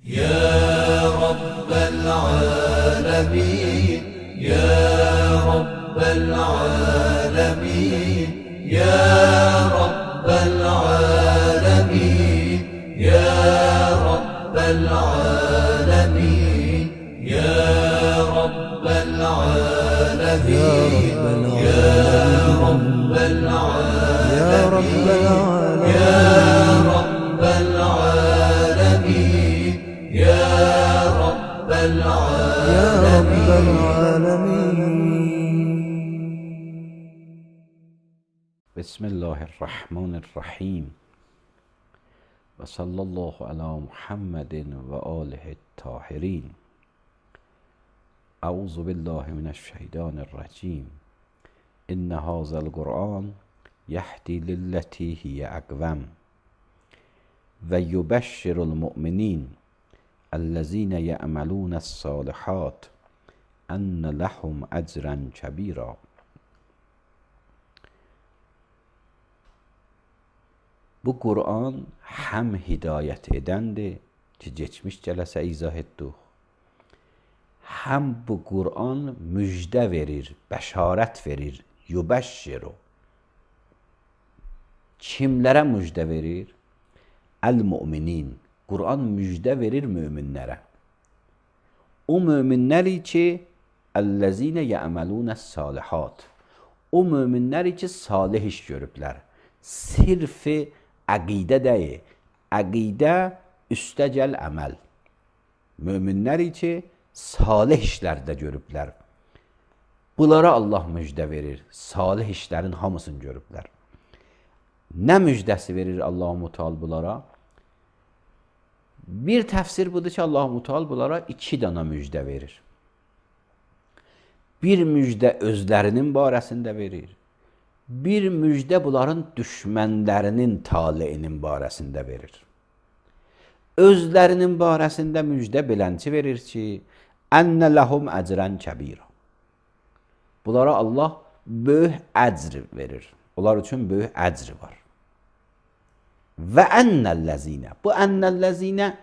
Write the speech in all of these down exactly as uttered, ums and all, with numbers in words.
يا رب العالمين يا رب العالمين يا رب العالمين يا رب العالمين يا رب العالمين يا رب العالمين يا رب العالمين يا رب العالمين يا رب العالمين. بسم الله الرحمن الرحیم و صلی الله علی محمد و آله الطاهرین. اعوذ بالله من الشیطان الرجیم. ان هذا القرآن یهدی للتی هی اقوم و یبشر المؤمنین الذین یعملون الصالحات ان لهم اجرا کبیرا. Bu Kur'an hem hidayet edendir ki geçmiş cələsə izah etdik. Hem bu Kur'an müjde verir, bəşarət verir, yubəşşiru. Kimlərə müjde verir? El-müminin. Kur'an müjde verir müminlərə. O müminləri ki, əl-ləzinə yə'məlunəs-salihat. O müminləri ki, salih iş görüblər. Sirfi əqidə deyil. Əqidə üstəgəl əməl. Müminləri ki, salih işlərdə görüblər. Bunlara Allah müjdə verir. Salih işlərin hamısını görüblər. Nə müjdəsi verir Allah-u Teala bunlara? Bir təfsir budur ki, Allah-u Teala bunlara iki dana müjdə verir. Bir müjdə özlərinin barəsində verir. Bir müjdə bunların düşmənlərinin taleyinin barəsində verir. Özlərinin barəsində müjdə belənçi verir ki, ənnə ləhum əcrən kəbira. Bunlara Allah böyük əcr verir. Onlar üçün böyük əcr var. Və ənnəlləzinə. Bu ənnəlləzinə,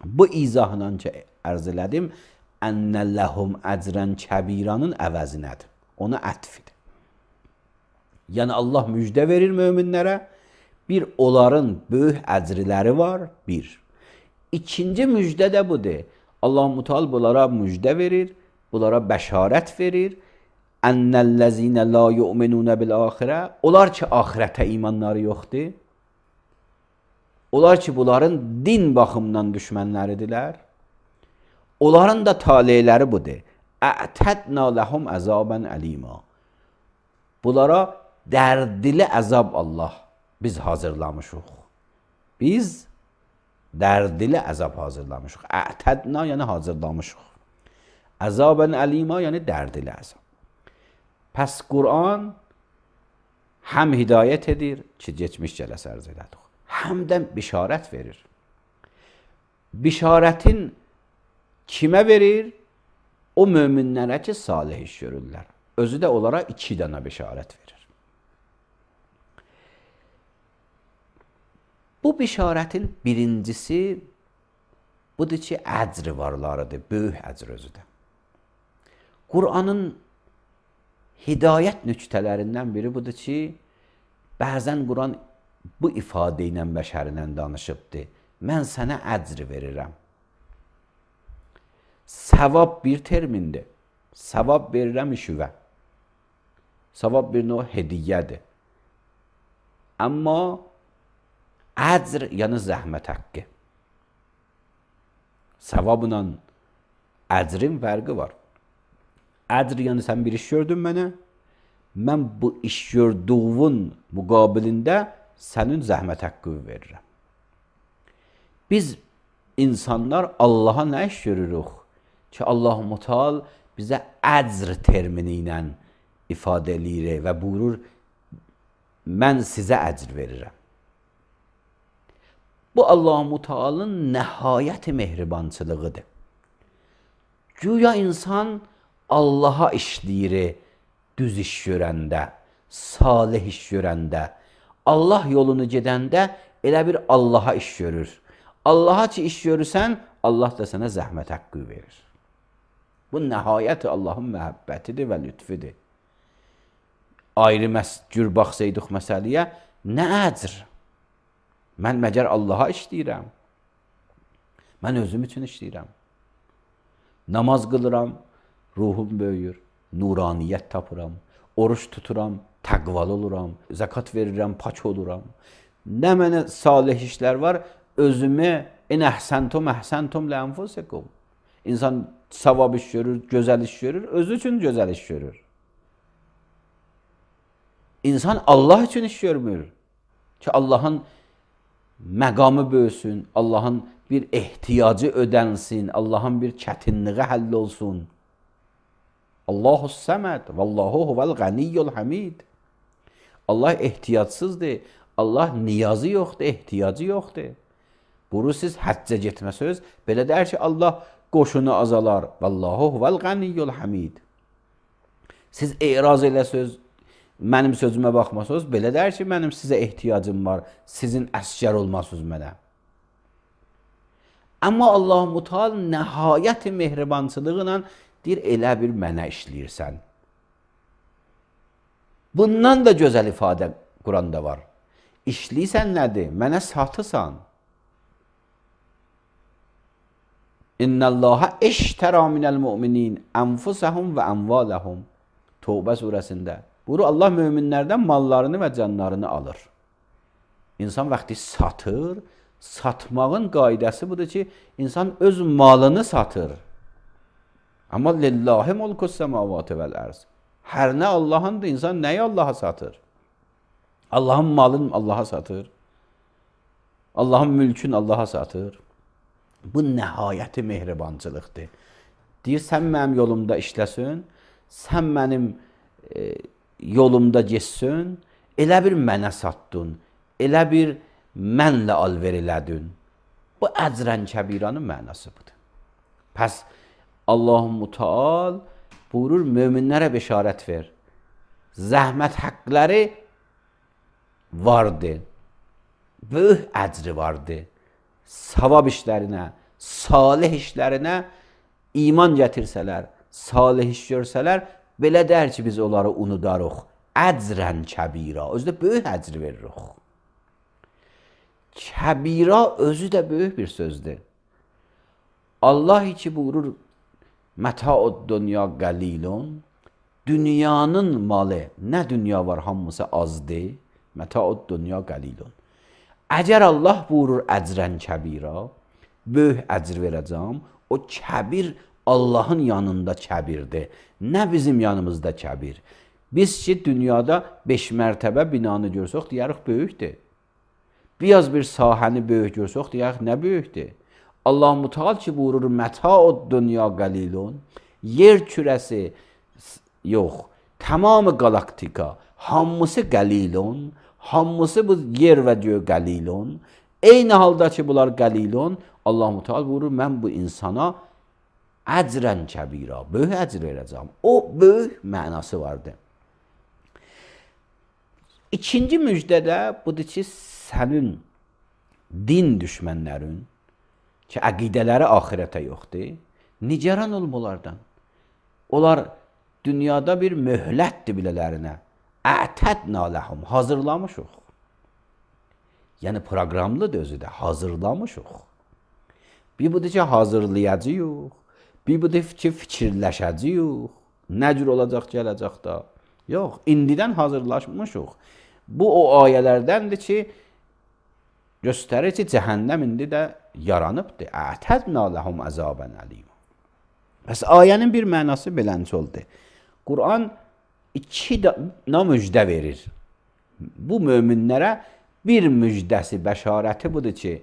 bu izahla ki, ərz elədim, ənnəlləhum əcrən kəbiranın əvəzinədir. Ona ətfidir. Yəni Allah müjdə verir möminlərə. Bir, onların böyük əcriləri var. Bir. İkinci müjdə də budur. Allah-u Teala bunlara müjdə verir. Bunlara bəşarət verir. Ənnəlləzinə la yu'minunə bil-axirə. Onlar ki, axirətə imanları yoxdur. Onlar ki, bunların din baxımından düşmənləridirlər. Onların da taleyləri budur. Ətədnə ləhum əzabən əlima. Bunlara dərdli əzab Allah biz hazırlamışıq. Biz dərdli əzab hazırlamışıq. Ətədnə yəni hazırlamışıq. Əzabən əlima yəni dərdli əzab. Pəs Qur'an həm hidayət edir ki, geçmiş cələsə ərz elədik. Həm də bişarət verir. Bişarətin kimə verir? O möminlərə ki, salih iş görürlər. Özü də onlara iki dana bişarət verir. Bu bişarətin birincisi budur ki, əcri varlarıdır, böyük əcr özü də. Qur'anın hidayət nüktələrindən biri budur ki, bəzən Qur'an bu ifadə ilə bəşərinlə danışıbdır. Mən sənə əcr verirəm. Səvab bir termindir. Səvab verirəm işüvə. Səvab bir növ hediyyədir. Amma əcr yəni zəhmət haqqı. Səvabla əcrin fərqi var. Əcr yəni sən bir iş gördün mənə, mən bu iş gördüğün müqabilində sənin zəhmət haqqı verirəm. Biz insanlar Allaha nə iş görürük ki, Allah-u Teala bizə əcr termini ilə ifadə eləyir və buyurur, mən sizə əcr verirəm. Bu Allah-u Teala'nın nəhayət mehribançılığıdır. Güya insan Allaha işləyir, düz iş görəndə, salih iş görəndə, Allah yolunu gedəndə elə bir Allaha iş görür. Allaha ki iş görürsən, Allah da sənə zəhmət haqqı verir. Bu nəhayət Allahın məhəbbətidir və lütfüdür. Ayrı cür baxsaydıq məsələyə, nə əcr? Mən məgər Allaha işləyirəm. Mən özüm üçün işləyirəm. Namaz qılıram, ruhum böyüyür, nuraniyyət tapıram, oruç tuturam, təqvalı oluram, zəkat verirəm, pak oluram. Nə mənə salih işlər var, özümü in əhsəntum əhsəntum ləənfusikum. İnsan savab iş görür, gözəl iş görür, özü üçün gözəl iş görür. İnsan Allah üçün iş görmür ki, Allahın məqamı böyüsün, Allahın bir ehtiyacı ödənsin, Allahın bir çətinliği həll olsun. Allahu səməd, vallahu huvel ganiyyul hamid. Allah ehtiyacsızdır, Allah niyazı yoxdur, ehtiyacı yoxdur. Bunu siz həccə getməsəz, belə deyər ki, Allah qoşunu azalar, vallahu huvel ganiyyul hamid. Siz eraz eləsəz, mənim sözümə baxmasınız, belə deyər ki, mənim sizə ehtiyacım var, sizin əsgər olmasınız mənə. Amma Allah-u Teala nəhayət mehribançılığı ilə deyir, elə bir mənə işləyirsən. Bundan da gözəl ifadə Quranda var. İşləyirsən nədir? Mənə satısan. İnnəllaha eştərə minəl müminin ənfusəhum və əmvaləhum. Tövbə surəsində. Buyurur, Allah möminlərdən mallarını və canlarını alır. İnsan vaxtı satır, satmağın qaydəsi budur ki, insan öz malını satır. Amma lillahi mulkus semavati vel arz. Hər nə Allahındır, insan nəyi Allaha satır? Allahın malını Allaha satır. Allahın mülkünü Allaha satır. Bu nəhayəti mehribançılıqdır. Deyir, sən mənim yolumda işləsin, sən mənim e, yolumda geçsin, elə bir mənə satdın, elə bir mənlə alver elədin. Bu əcrən kəbiranın mənası budur. Pəs Allah-u Teala buyurur, möminlərə bəşarət ver. Zəhmət haqqları vardır. Böyük əcri vardır. Savab işlərinə, salih işlərinə iman gətirsələr, salih iş görsələr, belə dər ki, biz onları unudarıq. Əcrən kəbira. Özü də böyük əcr veririk. Kəbira özü də böyük bir sözdür. Allah ki buyurur, Məta'ud dünya qalilun. Dünyanın malı, nə dünya var hamısı azdır. Məta'ud dünya qalilun. Əgər Allah buyurur əcrən kəbira, böyük əcr verəcəm, o kəbir Allahın yanında kəbirdir. Nə bizim yanımızda kəbir. Biz ki, dünyada beş mərtəbə binanı görsək, deyərik, böyükdür. Biraz bir sahəni böyük görsək, deyərik, nə böyükdür. Allah-u Teala ki, buyurur, Məta'ud dünya qalilun, yer kürəsi yox, tamamı galaktika, hamısı qalilun, hamısı bu yer və göy qalilun, eyni halda ki, bunlar qalilun, Allah-u Teala buyurur, mən bu insana əcrən kəbira, böyük əcr verəcəm. O böyük mənası vardır. İkinci müjdədə budur ki, sənin din düşmənlərin, ki, əqidələri axirətə yoxdur, nigaran olmalardan. Onlar dünyada bir möhlətdir bilələrinə. Ətədnə ləhum, hazırlamışıq. Yəni, proqramlıdır özü də, hazırlamışıq. Bir budur ki, hazırlayacağıq, bir budur ki, fikirləşəcəyik, nə cür olacaq, gələcək da. Yox, indidən hazırlaşmışıq. Bu, o ayələrdəndir ki, göstərir ki, cəhənnəm indi də yaranıbdır. Ətədnə ləhum əzabən əlim. Bəs ayənin bir mənası belənçi oldu. Quran iki dana müjdə verir. Bu möminlərə bir müjdəsi, bəşarəti budur ki,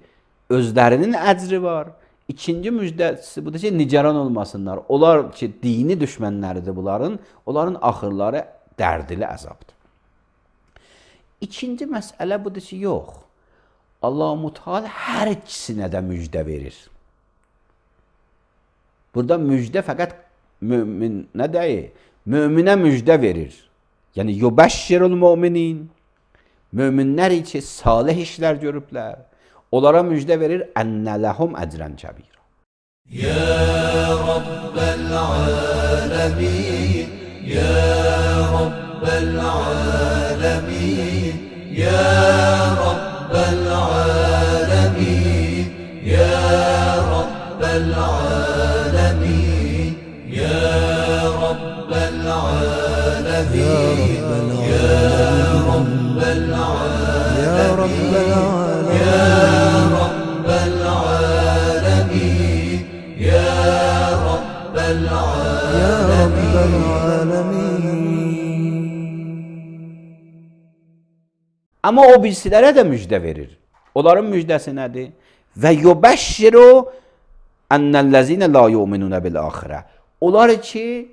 özlərinin əcri var. İkinci müjdəsi budur ki, nigaran olmasınlar. Onlar ki, dini düşmənləridir bunların, onların axırları dərdili əzabdır. İkinci məsələ budur ki, yox. Allah-u Teala hər ikisinə də müjdə verir. Burada müjdə fəqət möminə deyil, möminə müjdə verir. Yəni, yubəşşirul müminin, möminlər ki, salih işlər görüblər, onlara müjdə verir, ənnə ləhum əcrən kəbir. يا رب العالمين يا رب العالمين يا رب العالمين يا رب العالمين يا رب العالمين يا رب العالمين يا رب العالمين يا رب العالمين يا رب يا رب العالمين. Amma o birisilərə də müjdə verir. Onların müjdəsi nədir? Və yubəşşiru ennellezine la yu'minuna bil axirə. Onlar ki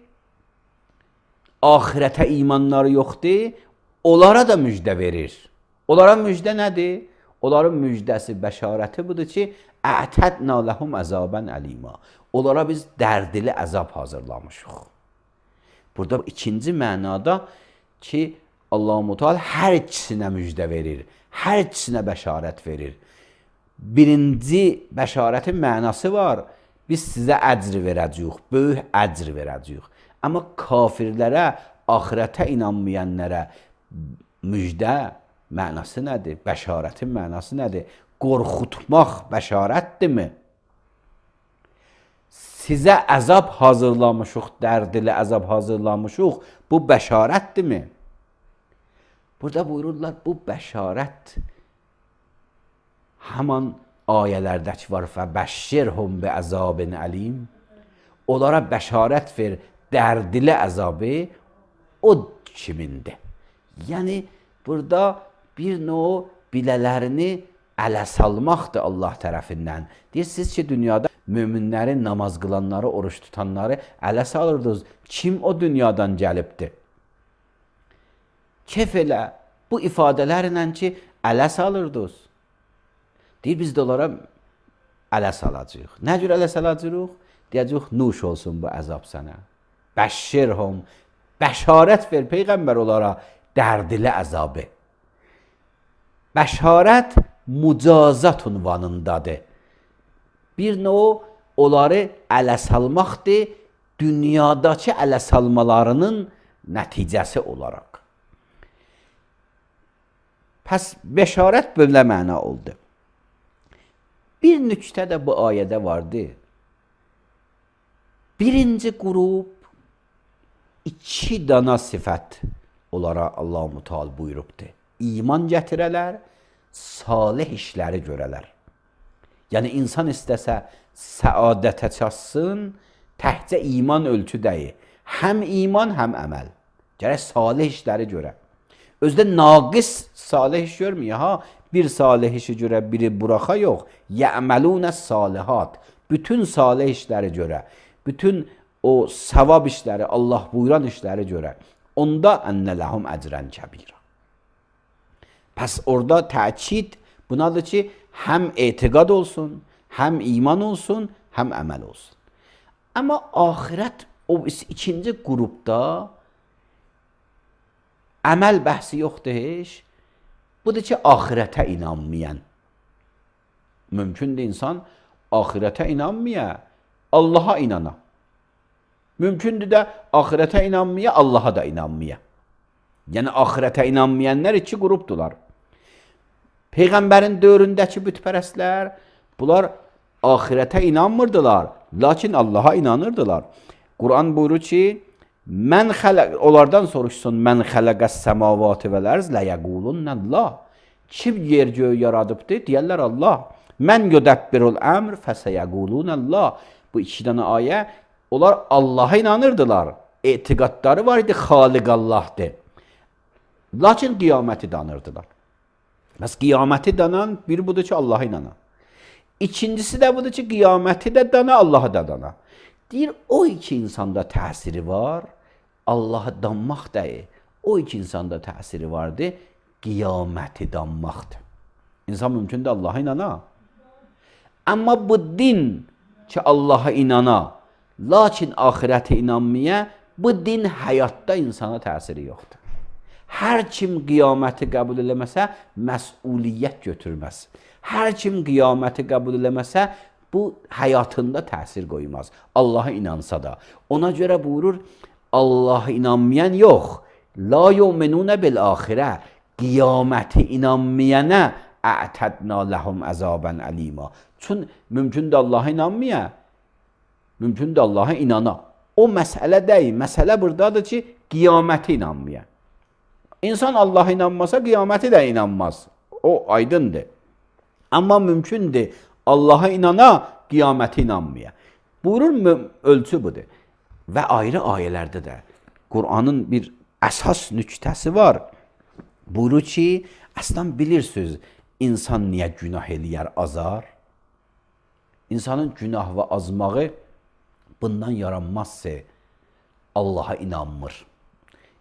axirətə imanları yoxdur, onlara da müjdə verir. Onların müjdə nədir? Onların müjdəsi, bəşarəti budur ki, ətədna ləhum əzabən əlima. Onlara biz dərdili əzab hazırlamışıq. Burada ikinci mənada ki, Allah-u Teala hər ikisinə müjdə verir, hər ikisinə bəşarət verir. Birinci bəşarətin mənası var, biz sizə əcr verəcəyik, böyük əcr verəcəyik. Amma kafirlərə, axirətə inanmayanlara müjdə mənası nədir? Bəşarətin mənası nədir? Qorxutmaq bəşarətdirmi? Sizə əzab hazırlamışıq, dərdili əzab hazırlamışıq, bu bəşarətdirmi? Burada buyururlar, bu bəşarət həman ayələrdəki var, fəbəşşirhum bi əzabin əlim. Onlara bəşarət ver, dərdili əzabı o kimindir? Yəni, burada bir növ bilələrini ələ salmaqdır Allah tərəfindən. Deyirsiniz ki, dünyada möminləri, namaz qılanları, oruç tutanları ələ salırdınız. Kim o dünyadan gəlibdir? Kef elə, bu ifadələrlə ki, ələ salırdınız. Deyir, biz də onlara ələ salacaq. Nə cür ələ salacaq? Deyəcək, nuş olsun bu əzab sənə. Bəşşirhum, bəşarət ver Peyğəmbər onlara dərdili əzabı. Bəşarət mücazat unvanındadır. Bir növ onları ələ salmaqdır, dünyadakı ələ salmalarının nəticəsi olaraq. Pəs bəşarət belə məna oldu. Bir nüktə də bu ayədə vardı. Birinci qrup iki dana sifət onlara Allah-u Teala buyurubdur. İman gətirələr, salih işləri görələr. Yəni, insan istəsə səadətə çatsın, təhcə iman ölçü deyil. Həm iman, həm əməl. Gərək salih işləri görə. Özdə naqis salih iş görmüyor, ha? Bir salih işi görə, biri buraxa yox. Yə'məlunə salihat. Bütün salih işləri görə. Bütün o savab işləri, Allah buyuran işləri görə. Onda ennə ləhum əcrən kəbirə. Pəs orada təkid bunadır ki, həm etiqad olsun, həm iman olsun, həm əməl olsun. Amma axirət o ikinci qrupda əməl bəhsi yoxdur heç. Budur ki, axirətə inanmayan. Mümkündür insan axirətə inanmaya, Allaha inana. Mümkündür də axirətə inanmaya, Allaha da inanmaya. Yəni, axirətə inanmayanlar iki qrupdular. Peyğəmbərin dövründəki bütpərəstlər, bunlar axirətə inanmırdılar, lakin Allaha inanırdılar. Quran buyurur ki, mən xələq, onlardan soruşsun, mən xələqəs səmavatı vəl-ərz ləyəqulunnəllah. Kim yer göğü yaradıbdır? Deyərlər Allah. Mən yudəbbirul əmr fəsəyəqulunəllah. Bu iki dənə ayə, onlar Allaha inanırdılar. Etiqadları var idi, xaliq Allahdır. Lakin qiyaməti danırdılar. Bəs qiyaməti danan bir budur ki, Allaha inanan. İkincisi də budur ki, qiyaməti də dana, Allaha da dana. Deyir, o iki insanda təsiri var, Allaha danmaq deyil. O iki insanda təsiri vardır, qiyaməti danmaqdır. İnsan mümkündür Allaha inana. Amma bu din ki, Allaha inana, lakin ahirətə inanmaya, bu din həyatda insana təsiri yoxdur. Hər kim qiyaməti qəbul eləməsə, məsuliyyət götürməz. Hər kim qiyaməti qəbul eləməsə, bu həyatında təsir qoymaz. Allaha inansa da. Ona görə buyurur, Allaha inanmayan yox. La yu'minuna bil axirə. Qiyaməti inanmayana a'tadna lahum azaban alima. Çün mümkündür Allaha inanmaya, mümkündür Allaha inana. O məsələ deyil. Məsələ buradadır ki, qiyaməti inanmaya. İnsan Allaha inanmasa qiyaməti də inanmaz. O aydındır. Amma mümkündür Allaha inana, qiyaməti inanmaya. Buyurur, ölçü budur. Və ayrı ayələrdə də Qur'anın bir əsas nüktəsi var. Buyurur ki, əslən bilirsiniz, insan niyə günah eləyər, azar? İnsanın günah və azmağı bundan yaranmazsa Allaha inanmır.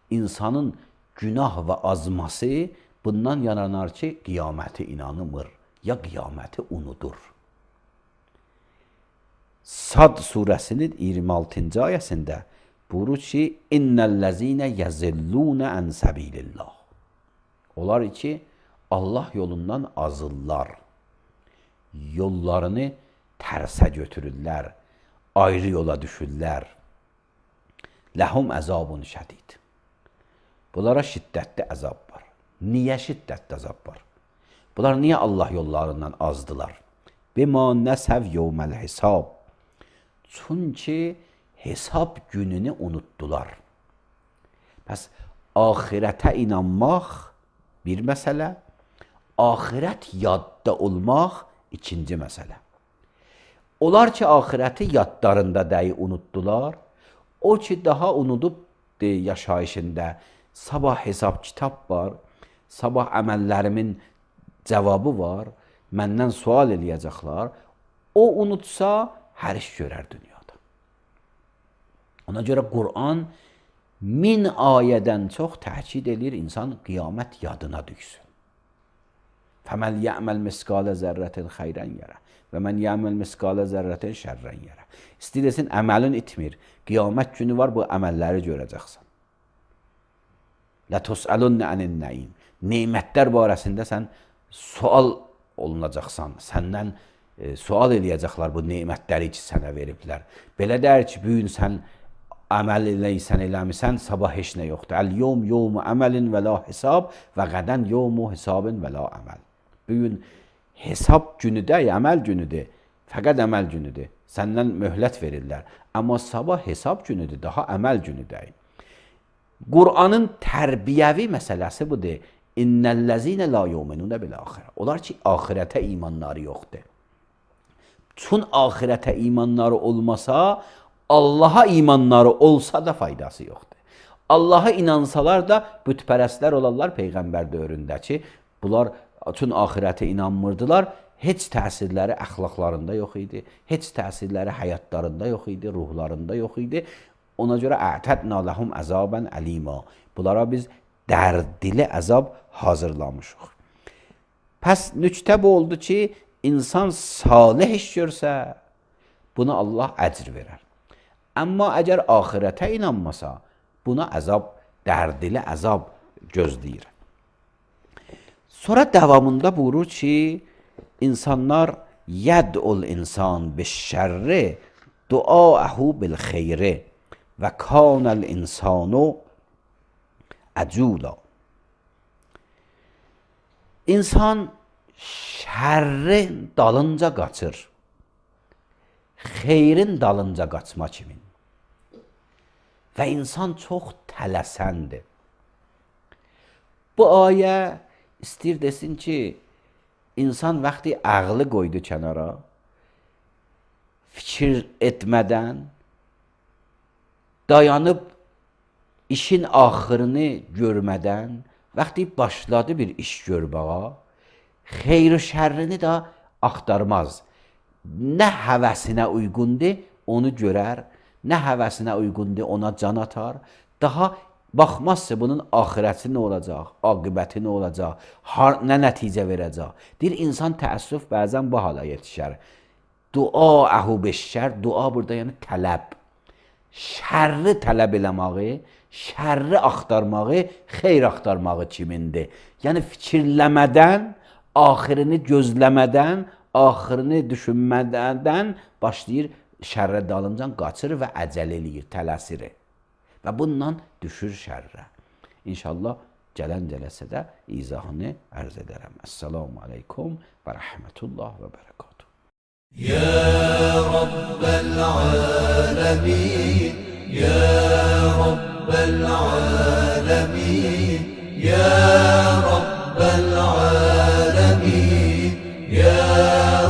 İnsanın günah və azması bundan yaranar ki, qiyaməti inanmır, ya qiyaməti unudur. Sad surəsinin iyirmi altıncı ayəsində buyurur ki, İnnellezine yazillune an sabilillah. Onlar ki, Allah yolundan azırlar. Yollarını tərsə götürürlər. Ayrı yola düşürlər. Ləhum əzabun şədid. Bunlara şiddətli əzab var. Niyə şiddətli əzab var? Bunlar niyə Allah yollarından azdılar? Bima nəsəv yevməl hisab. Çünki hesab gününü unutdular. Bəs ahirətə inanmaq bir məsələ, ahirət yadda olmaq ikinci məsələ. Onlar ki, ahirəti yadlarında deyi unutdular, o ki, daha unudub de, yaşayışında sabah hesab kitab var, sabah əməllərimin cavabı var, məndən sual eləyəcəklər, o unutsa, hər iş görər dünyada. Ona görə Qur'an min ayədən çox təkid edir, insan qiyamət yadına düşsün. Fəməl yə'məl miskalə zərrətin xeyrən yerə və mən yə'məl miskalə zərrətin şərrən yerə. İstəyirsin, əməlin itmir. Qiyamət günü var, bu əməlləri görəcəksən. Lətus'əlunə ənin nəim. Neymətlər barəsində sən sual olunacaqsan. Səndən e, sual eləyəcəklər bu neymətləri ki, sənə veriblər. Belə deyir ki, bu gün sən əməl eləysən, eləmirsən, sabah heç nə yoxdur. Əl-yom yevmu əməlin və la hesab və qədən yevmu hesabin və la əməl. Bu gün hesab günüdür, əməl günüdür, fəqət əməl günüdür. Səndən möhlət verirlər. Amma sabah hesab günüdür, daha əməl günüdür. Qur'anın tərbiyəvi məsələsi budur. İnnellezine la yu'minuna bil axirə. Onlar ki, axirətə imanları yoxdur. Çün axirətə imanları olmasa, Allaha imanları olsa da faydası yoxdur. Allaha inansalar da bütpərəstlər olarlar Peyğəmbər dövründə ki, bunlar üçün axirətə inanmırdılar, heç təsirləri əxlaqlarında yox idi, heç təsirləri həyatlarında yox idi, ruhlarında yox idi. Ona görə a'tadna lahum azaban alima. Bunlara biz dərdli əzab hazırlamışıq. Pəs nüktə bu oldu ki, insan salih iş görsə, buna Allah əcr verər. Amma əgər axirətə inanmasa, buna əzab, dərdli əzab gözləyir. Sonra davamında buyurur ki, insanlar yəd'ul insan biş-şərri duaəhu bil xeyri və kanəl insanu əcula. İnsan şərrin dalınca qaçır, xeyrin dalınca qaçma kimin. Və insan çox tələsəndir. Bu ayə istəyir desin ki, insan vaxtı ağlı qoydu kənara, fikir etmədən, dayanıb işin axırını görmədən, vaxtı başladı bir iş görməyə, xeyri şərrini də axtarmaz. Nə həvəsinə uyğundur, onu görər, nə həvəsinə uyğundur, ona can atar. Daha baxmazsa bunun axirəti nə olacaq, aqibəti nə olacaq, har, nə nəticə verəcək. Deyir, insan təəssüf bəzən bu hala yetişər. Dua əhu beşşər, dua burada yəni tələb. Şərri tələb eləməyi, şərri axtarmağı, xeyr axtarmağı kimindir. Yəni fikirləmədən, axirini gözləmədən axırını düşünmədən başlayır şərrə dalıncan qaçır və əcəl eləyir, tələsir. Və bundan düşür şərrə. İnşallah gələn cələsədə izahını ərz edərəm. Əssalamu aleykum və rəhmətullah və bərəkatuhu. يا رب العالمين يا رب العالمين يا رب العالمين يا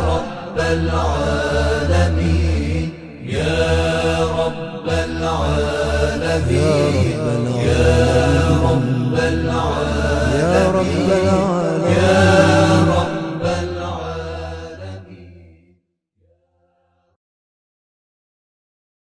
رب العالمين يا رب العالمين يا رب العالمين يا رب العالمين